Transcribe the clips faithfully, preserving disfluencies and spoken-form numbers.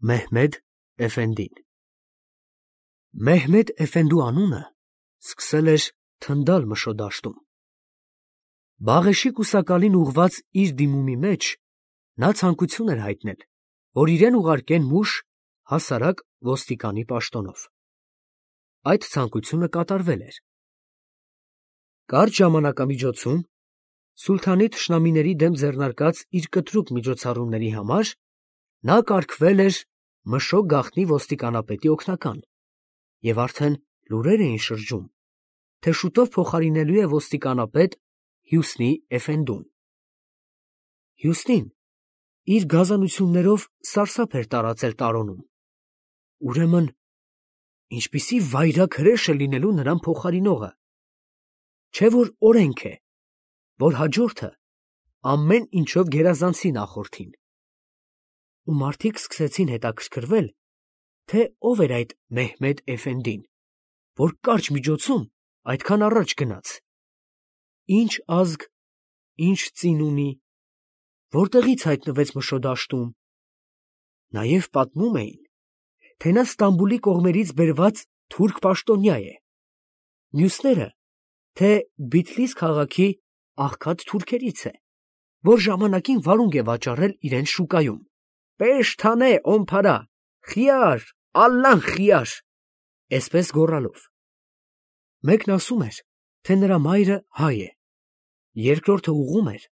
Մեհմեդ Էֆենդին Մեհմեդ Էֆենդու անունը սկսել էր թնդալ Մշո դաշտում։ Բաղեշի կուսակալին ուղղված իր դիմումի մեջ նա ցանկություն էր հայտնել, որ իրեն ուղարկեն մուշ հասարակ ոստիկանի պաշտոնով։ Այդ ցանկությունը կատարվել էր։ Կարճ ժամանակամիջոցում սուլթանի թշնամիների դեմ ձեռնարկած իր կտրուկ միջոցառումների համար նա կարգվել էր Մշո գաղտնի ոստիկանապետի օգնական, և արդեն լուրեր էին շրջում, թե շուտով փոխարինելու է ոստիկանապետ Հյուսնի Էֆենդուն։ Հյուսնին իր գազանություններով սարսափ էր տարածել տարոնում։ Ուրեմն ինչպիսի վայրագ հրեշ է լինելու նրան փոխարինողը։ Չէ՞ որ օրենք է, որ հաջորդը ամեն ինչով գերազանցի նախորդին։ Ու մարդիկ սկսեցին հետաքրքրվել, թե ով էր այդ Մեհմեդ Էֆենդին, որ կարճ միջոցում այդքան առաջ գնաց, ինչ ազգ, ինչ ծին ունի, որտեղից հայտնվեց Մշո դաշտում։ Նաև պատմում էին, թե նա Ստամբուլի կողմերից բերված թուրք պաշտոնյա է, մյուսները, թե Բիթլիս քաղաքի աղքատ թուրքերից է, որ ժամանակին վարունգ է վաճառել իրենց շուկայում։ «Պեշթանե օմփարա, խիար, ալլան խիար», այսպես գոռալով։ Մեկն ասում էր, թե նրա մայրը հայ է, երկրորդը ուղղում էր,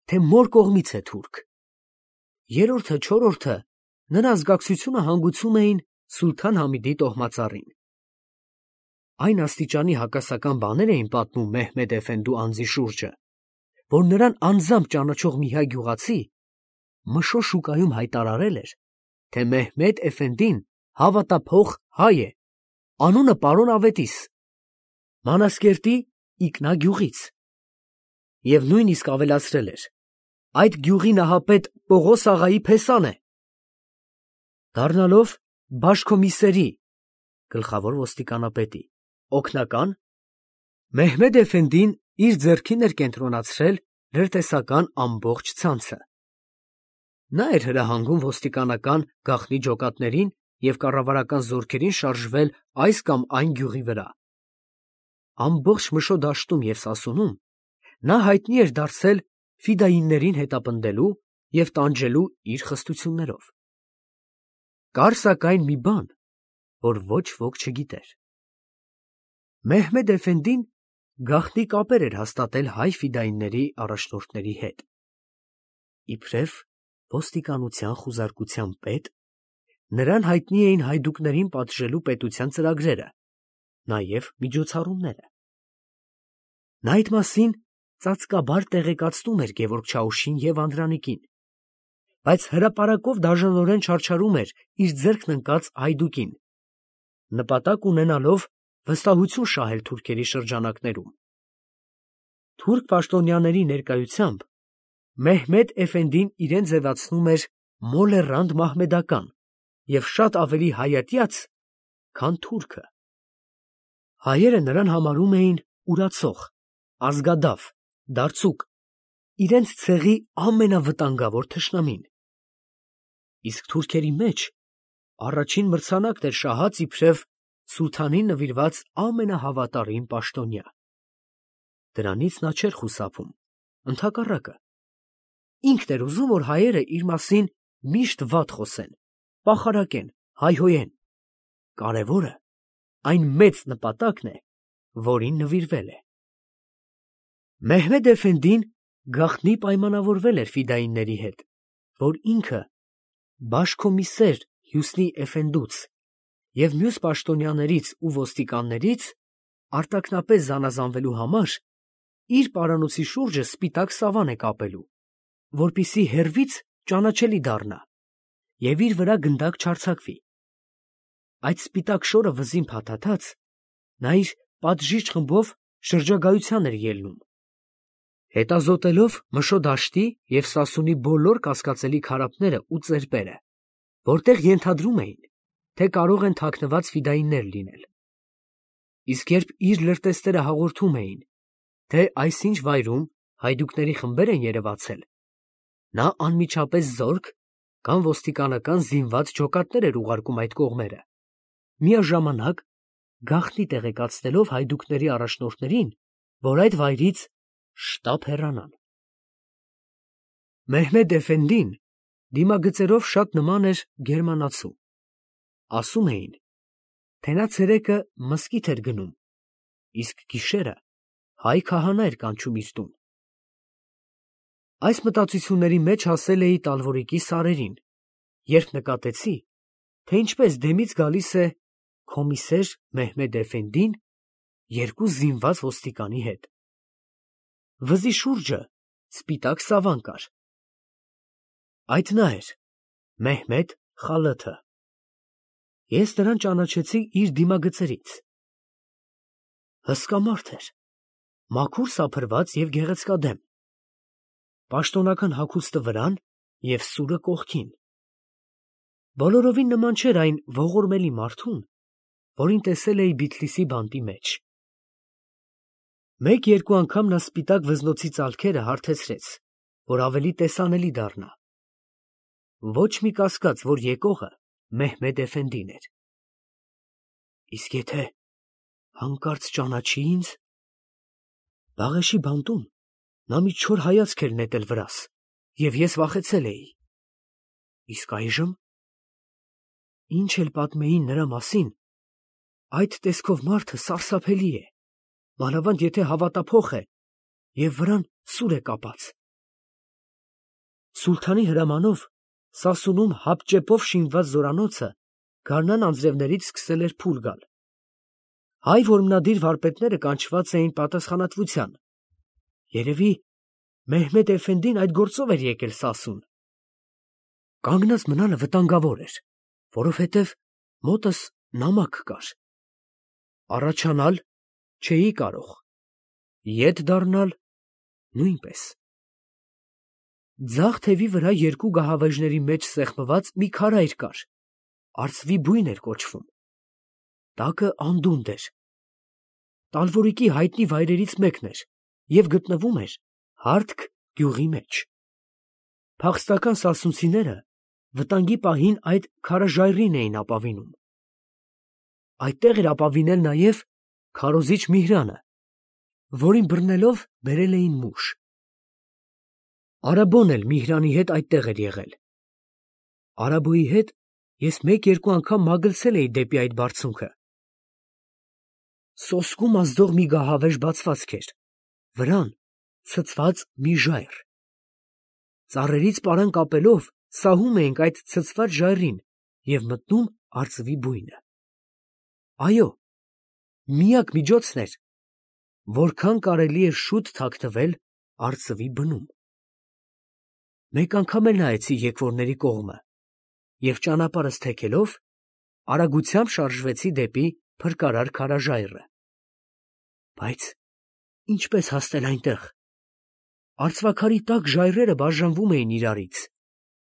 թե մոր կողմից է թուրք, երրորդը, չորրորդը նրա ազգակցությունը հանգուցում էին Սուլթան Համիդի տոհմածառին։ Այն աստիճանի հակասական բաներ էին պատմում Մեհմեդ Էֆենդու անձի շուրջը, որ նրան անձամբ ճանաչող մի հայ գյուղացի Մշո շուկայում հայտարարել էր, թե Մեհմեդ Էֆենդին հավատափող հայ է, անունը պարոն Ավետիս, Մանասկերտի Իկնա գյուղից, և նույնիսկ ավելացրել էր. այդ գյուղի նահապետ Պողոս աղայի փեսան է։ Դառնալով բաշկոմիսերի գլխավոր ոստիկանապետի օգնական, Մեհմեդ Էֆենդին իր ձեռքին էր կենտրոնացրել լրտեսական ամբողջ ցանցը։ Նա էր հրահանգում ոստիկանական գաղտնի ջոկատներին և կառավարական զորքերին շարժվել այս կամ այն գյուղի վրա։ Ամբողջ Մշո դաշտում և Սասունում նա հայտնի էր դարձել ֆիդայիններին հետապնդելու և տանջելու իր խստություններով։ Կար սակայն մի բան, որ ոչ ոք չգիտեր. Մեհմեդ Էֆենդին գաղտնի կապեր էր հաստատել հայ ֆիդայինների առաջնորդների հետ։ Իբրև ոստիկանության խուզարկության պետ, նրան հայտնի էին հայդուկներին պատժելու պետության ծրագրերը, նաև միջոցառումները։ Նա այդ մասին ծածկաբար տեղեկացնում էր Գևորգ Չաուշին և Անդրանիկին, բայց հրապարակով դաժանորեն չարչարում էր իր ձեռքն ընկած հայդուկին, նպատակ ունենալով վստահություն շահել թուրքերի շրջանակներում։ Թուրք պաշտոնյաների ներկայությամբ Մեհմեդ Էֆենդին իրեն ձևացնում էր մոլեռանդ մահմեդական և շատ ավելի հայատյաց, քան թուրքը։ Հայերը նրան համարում էին ուրացող, ազգադավ, դարձուկ, իրենց ցեղի ամենավտանգավոր թշնամին։ Իսկ թուրքերի մեջ առաջին մրցանակն էր շահած իբրև սուլթանին նվիրված ամենահավատարիմ պաշտոնյա։ Դրանից նա չէր խուսափում, ընդհակառակը, ինքն էր ուզում, որ հայերը իր մասին միշտ վատ խոսեն, պախարակեն, հայհոյեն։ Կարևորը այն մեծ նպատակն է, որին նվիրվել է։ Մեհմեդ Էֆենդին գաղտնի պայմանավորվել էր ֆիդայինների հետ, որ ինքը բաշկոմիսեր Հյուսնի Էֆենդուց և մյուս պաշտոնյաներից ու ոստիկաններից արտաքնապես զանազանվելու համար իր պարանոցի շուրջը սպիտակ սավան է կապելու, որպեսզի հեռվից ճանաչելի դառնա և իր վրա գնդակ չարձակվի։ Այդ սպիտակ շորը վզին փաթաթած, նա իր պատժիչ խմբով շրջագայության էր ելնում, հետազոտելով Մշո դաշտի և Սասունի բոլոր կասկածելի քարափները ու ծերպերը, որտեղ ենթադրում էին, թե կարող են թաքնված ֆիդայիններ լինել։ Իսկ երբ իր լրտեսները հաղորդում էին, թե այսինչ վայրում հայդուկների խմբեր են երևացել, նա անմիջապես զորք կամ ոստիկանական զինված ջոկատներ էր ուղարկում այդ կողմերը, միաժամանակ գաղտնի տեղեկացնելով հայդուկների առաջնորդներին, որ այդ վայրից շտապ հեռանան։ Մեհմեդ Էֆենդին դիմագծերով շատ նման էր գերմանացու։ Ասում էին, թե նա ցերեկը մզկիթ էր գնում, իսկ գիշերը հայ քահանա էր կանչում իր տուն։ Այս մտածությունների մեջ հասել էի Տալվորիկի սարերին, երբ նկատեցի, թե ինչպես դեմից գալիս է կոմիսեր Մեհմեդ Էֆենդին երկու զինված ոստիկանի հետ։ Վզի շուրջը սպիտակ սավան կար։ Այդ նա էր, Մեհմեդ Խալաթը։ Ես նրան ճանաչեցի իր դիմագծերից։ Հսկա մարդ էր, մաքուր սափրված և գեղեցկադեմ, պաշտոնական հագուստը վրան և սուրը կողքին։ Բոլորովին նման չէր այն ողորմելի մարդուն, որին տեսել էի Բիթլիսի բանտի մեջ։ Մեկ-երկու անգամ նա սպիտակ վզնոցի ծալքերը հարթեցրեց, որ ավելի տեսանելի դառնա։ Ոչ մի կասկած, որ եկողը Մեհմեդ Էֆենդին էր։ Իսկ եթե հանկարծ ճանաչի ինձ, Բաղեշի բանտում նա մի չոր հայացք էր նետել վրաս, և ես վախեցել էի։ Իսկ այժմ, ինչ էլ պատմեին նրա մասին, այդ տեսքով մարդը սարսափելի է, մանավանդ եթե հավատափոխ է և վրան սուր է կապած։ Սուլթանի հրամանով Սասունում հապճեպով շինված զորանոցը գարնան անձրևներից սկսել էր փուլ գալ։ Հայ որմնադիր վարպետները կանչված էին պատասխանատվության։ Երևի Մեհմեդ Էֆենդին այդ գործով էր եկել Սասուն։ Կանգնած մնալը վտանգավոր էր, որովհետև մոտս նամակ կար։ Առաջանալ չէի կարող, ետ դառնալ նույնպես։ Ձախ թևի վրա երկու գահավեժների մեջ սեղմված մի քարայր կար, արծվի բույն էր կոչվում։ Տակը անդունդ էր։ Տալվորիկի հայտնի վայրերից մեկն էր և գտնվում էր Հարթք գյուղի մեջ։ Փախստական սասունցիները վտանգի պահին այդ քարաժայռին էին ապավինում։ Այդտեղ էր ապավինել նաև քարոզիչ Միհրանը, որին բռնելով բերել էին մուշ։ Արաբոն էլ Միհրանի հետ այդտեղ էր եղել։ Արաբոյի հետ ես մեկ-երկու անգամ մագլցել էի դեպի այդ բարձունքը։ Սոսկում ազդող մի գահավեժ բացվածք էր, վրան ցցված մի ժայռ։ Ծառերից պարան կապելով սահում էինք այդ ցցված ժայռին և մտնում արծվի բույնը։ Այո, միակ միջոցն էր, որքան կարելի էր շուտ թաքնվել արծվի բնում։ Մեկ անգամ էլ նայեցի եկվորների կողմը և ճանապարհս թեքելով արագությամբ շարժվեցի դեպի փրկարար քարաժայռը։ Բայց ինչպես հասնել այնտեղ։ Արծվաքարի տակ ժայռերը բաժանվում էին իրարից,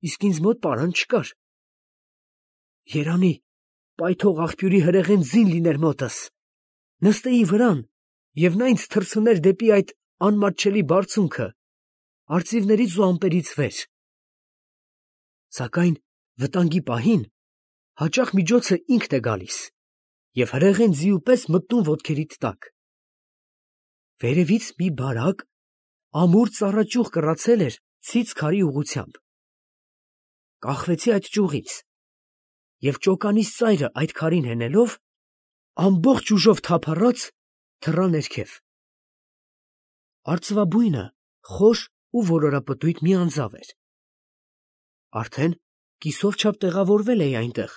իսկ ինձ մոտ պարան չկար։ Երանի պայթող աղբյուրի հրեղեն ձին լիներ մոտս, նստեի վրան, և նա ինձ թռցներ դեպի այդ անմատչելի բարձունքը, արծիվներից ու ամպերից վեր։ Սակայն վտանգի պահին հաճախ միջոցը ինքն է գալիս և հրեղեն ձիու պես մտնում ոտքերիդ տակ։ Վերևից մի բարակ, ամուր ծառաճյուղ կռացել էր ցից քարի ուղղությամբ։ Կախվեցի այդ ճյուղից և ճոկանիս ծայրը այդ քարին հենելով, ամբողջ ուժով թափառած թռա ներքև։ Արծվաբույնը խոր ու որորապտույտ մի անձավ էր։ Արդեն կիսով չափ տեղավորվել էի այնտեղ,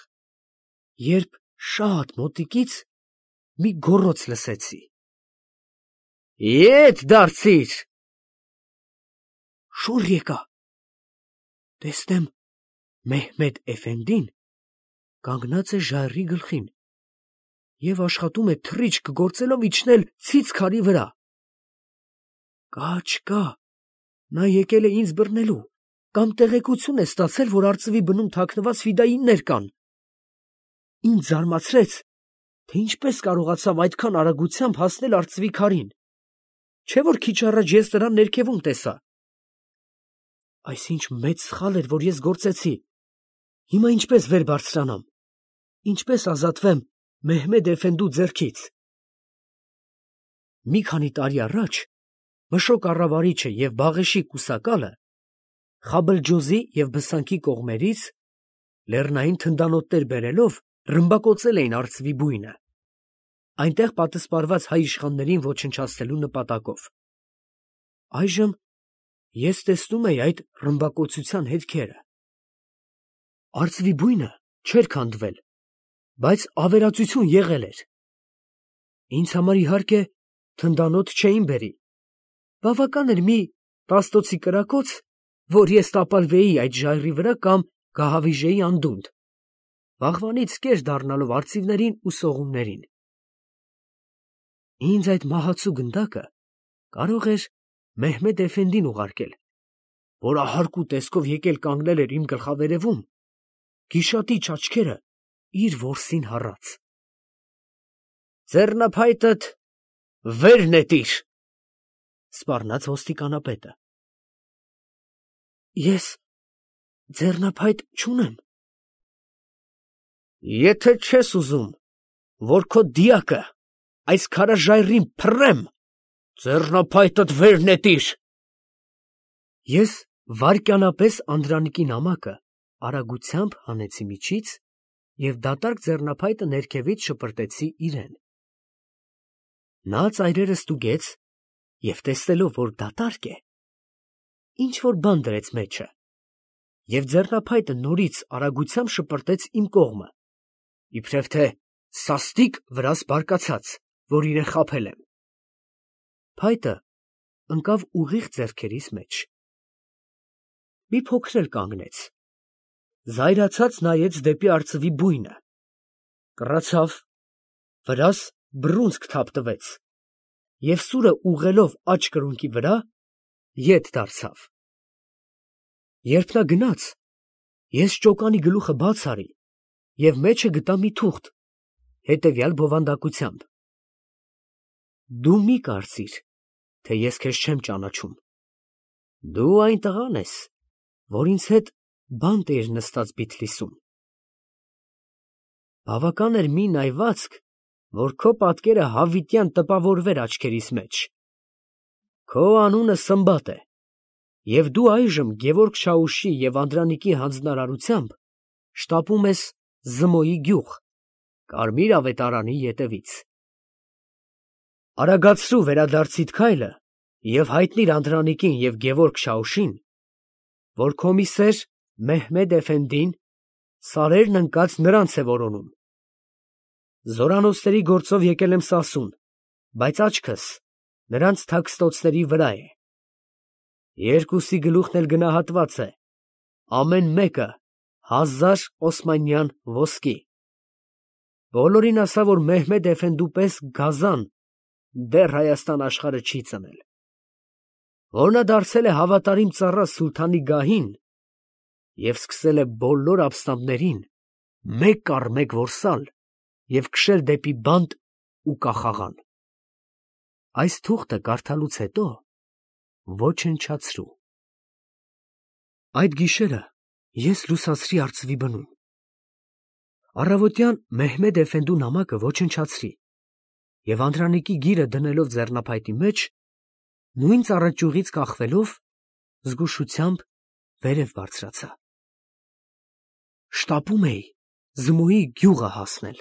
երբ շատ մոտիկից մի գոռոց լսեցի. «Ետ դարձի՛ր»։ Շուռ եկա։ Տեսնեմ Մեհմեդ Էֆենդին կանգնած է ժայռի գլխին և աշխատում է թռիչք գործելով իջնել ցից քարի վրա։ Կա չկա, նա եկել է ինձ բռնելու, կամ տեղեկություն է ստացել, որ արծվի բնում թաքնված ֆիդայիններ կան։ Ինձ զարմացրեց, թե ինչպես կարողացավ այդքան արագությամբ հասնել արծվի քարին, չէ՞ որ քիչ առաջ ես նրան ներքևում տեսա։ Այս ինչ մեծ սխալ էր, որ ես գործեցի։ Հիմա ինչպես վեր բարձրանամ, ինչպես ազատվեմ Մեհմեդ էֆենդու ձեռքից։ Մի քանի տարի առաջ Մշո կառավարիչը և Բաղեշի կուսակալը Խաբլջոզի և Բսանքի կողմերից լեռնային թնդանոթներ բերելով ռմբակոծել էին արծվի բույնը, այնտեղ պատսպարված հայ իշխաններին ոչնչացնելու նպատակով։ Այժմ ես տեսնում էի այդ ռմբակոծության հետքերը։ Արծվի բույնը չէր քանդվել, բայց ավերածություն եղել էր։ Ինձ համար իհարկե թնդանոթ չէին բերի։ Բավական էր մի տաստոցի կրակոց, որ ես տապալվեի այդ ժայռի վրա կամ կհավիժեի անդունդը, վաղվանից կեր դառնալով արծիվներին ու սողուններին։ Ինձ այդ մահացու գնդակը կարող էր Մեհմեդ էֆենդին ուղարկել, որ ահարկու տեսքով եկել կանգնել էր իմ գլխավերևում, գիշատիչ աչքերը իր որսին հառած։ «Ձեռնափայտդ վեր նետիր», սպառնաց ոստիկանապետը։ Ես ձեռնափայտ չունեմ։ Եթե չես ուզում, որ քո դիակը այս քարաժայռին փռեմ, ձեռնափայտդ վեր նետիր։ Ես վայրկյանապես Անդրանիկի նամակը արագությամբ հանեցի միջից և դատարկ ձեռնափայտը ներքևից շպրտեցի իրեն։ Նա ծայրերը ստուգեց և տեսնելով, որ դատարկ է, ինչ-որ բան դրեց մեջը, և ձեռնափայտը նորից արագությամբ շպրտեց իմ կողմը, իբրև թե սաստիկ վրաս բարկացած, որ իրեն խաբել եմ։ Փայտը ընկավ ուղիղ ձեռքերիս մեջ։ Մի փոքր էլ կանգնեց, զայրացած նայեց դեպի արծվի բույնը, կռացավ, վրաս բռունցք թափ տվեց և սուրը ուղղելով աջ կրունկի վրա, ետ դարձավ։ Երբ նա գնաց, ես ճոկանի գլուխը բաց արի և մեջը գտա մի թուղթ հետևյալ բովանդակությամբ. «Դու մի կարծիր, թե ես քեզ չեմ ճանաչում. դու այն տղան ես, որ ինձ հետ բանտ էիր նստած Բիթլիսում։ Բավական էր մի նայվածք, որ քո պատկերը հավիտյան տպավորվեր աչքերիս մեջ։ Քո անունը Սմբատ է, և դու այժմ Գևորգ Շաուշի և Անդրանիկի հանձնարարությամբ շտապում ես Զմոյի գյուղ, Կարմիր ավետարանի ետևից։ Արագացրու վերադարձիդ քայլը և հայտնիր Անդրանիկին և Գևորգ Շաուշին, որ քո մի սեր Մեհմեդ էֆենդին սարերն ընկած նրանց է որոնում։ Զորանոցների գործով եկել եմ Սասուն, բայց աչքս նրանց թաքստոցների վրա է։ Երկուսի գլուխն էլ գնահատված է, ամեն մեկը հազար օսմանյան ոսկի։ Բոլորին ասա, որ Մեհմեդ էֆենդու պես գազան դեռ Հայաստան աշխարհը չի ծնել, որ նա դարձել է հավատարիմ ծառա սուլթանի գահին և սկսել է բոլոր ապստամբներին մեկ առ մեկ որսալ և քշել դեպի բանտ ու կախաղան։ Այս թուղթը կարդալուց հետո ոչնչացրու։ Այդ գիշերը ես լուսացրի արծվի բնում։ Առավոտյան Մեհմեդ էֆենդու նամակը ոչնչացրի և Անդրանիկի գիրը դնելով ձեռնափայտի մեջ, նույն ծառաճյուղից կախվելով, զգուշությամբ վերև բարձրացա։ Շտապում էի Զմոյի գյուղը հասնել։